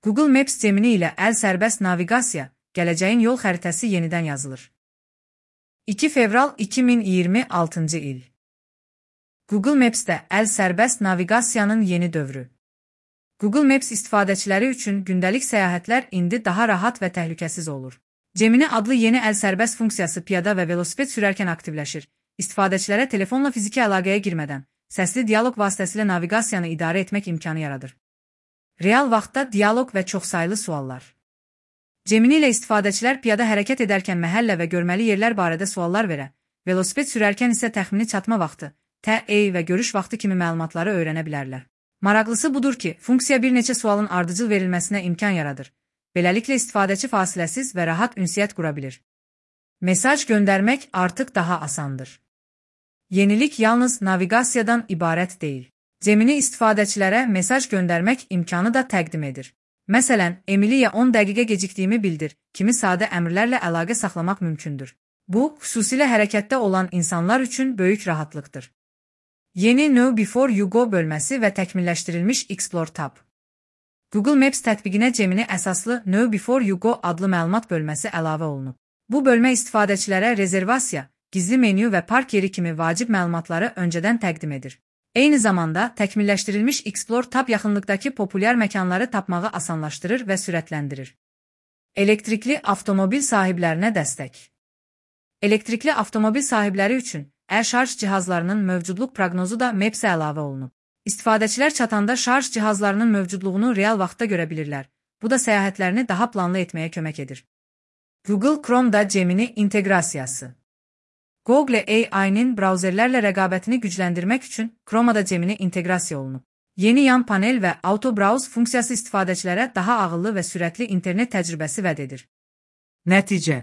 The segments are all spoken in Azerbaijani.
Google Maps Gemini ilə əl sərbəst naviqasiya, gələcəyin yol xəritəsi yenidən yazılır. 2 fevral 2026-cı il. Google Maps-də əl sərbəst naviqasiyanın yeni dövrü. Google Maps istifadəçiləri üçün gündəlik səyahətlər indi daha rahat və təhlükəsiz olur. Gemini adlı yeni əl sərbəst funksiyası piyada və velosiped sürərkən aktivləşir. İstifadəçilərə telefonla fiziki əlaqəyə girmədən, səsli dialoq vasitəsilə naviqasiyanı idarə etmək imkanı yaradır. Real vaxtda dialoq və çoxsaylı suallar. Gemini ilə istifadəçilər piyada hərəkət edərkən məhəllə və görməli yerlər barədə suallar verə, velosiped sürərkən isə təxmini çatma vaxtı, TE və görüş vaxtı kimi məlumatları öyrənə bilərlər. Maraqlısı budur ki, funksiya bir neçə sualın ardıcıl verilməsinə imkan yaradır. Beləliklə istifadəçi fasiləsiz və rahat ünsiyyət qura bilir. Mesaj göndərmək artıq daha asandır. Yenilik yalnız naviqasiyadan ibarət deyil. Gemini istifadəçilərə mesaj göndərmək imkanı da təqdim edir. Məsələn, Emiliyə 10 dəqiqə gecikdiyimi bildir, kimi sadə əmrlərlə əlaqə saxlamaq mümkündür. Bu, xüsusilə hərəkətdə olan insanlar üçün böyük rahatlıqdır. Yeni Know Before You Go bölməsi və təkmilləşdirilmiş Explore tab. Google Maps tətbiqinə Gemini əsaslı Know Before You Go adlı məlumat bölməsi əlavə olunub. Bu bölmə istifadəçilərə rezervasiya, gizli menyu və park yeri kimi vacib məlumatları öncədən təqdim edir. Eyni zamanda, təkmilləşdirilmiş Explore tab yaxınlıqdakı populyar məkanları tapmağı asanlaşdırır və sürətləndirir. Elektrikli avtomobil sahiblərinə dəstək. Elektrikli avtomobil sahibləri üçün şarj cihazlarının mövcudluq proqnozu da Maps-ə əlavə olunub. İstifadəçilər çatanda şarj cihazlarının mövcudluğunu real vaxtda görə bilirlər. Bu da səyahətlərini daha planlı etməyə kömək edir. Google Chrome'da Gemini inteqrasiyası. Google AI-nin brauzerlərlə rəqabətini gücləndirmək üçün Chrome'da Gemini inteqrasiya olunub. Yeni yan panel və Auto Browse funksiyası istifadəçilərə daha ağıllı və sürətli internet təcrübəsi vəd edir. Nəticə.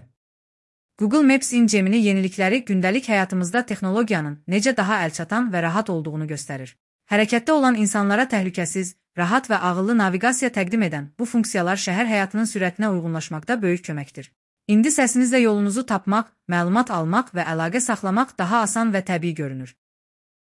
Google Maps-in Gemini yenilikləri gündəlik həyatımızda texnologiyanın necə daha əlçatan və rahat olduğunu göstərir. Hərəkətdə olan insanlara təhlükəsiz, rahat və ağıllı naviqasiya təqdim edən bu funksiyalar şəhər həyatının sürətinə uyğunlaşmaqda böyük köməkdir. İndi səsinizlə yolunuzu tapmaq, məlumat almaq və əlaqə saxlamaq daha asan və təbii görünür.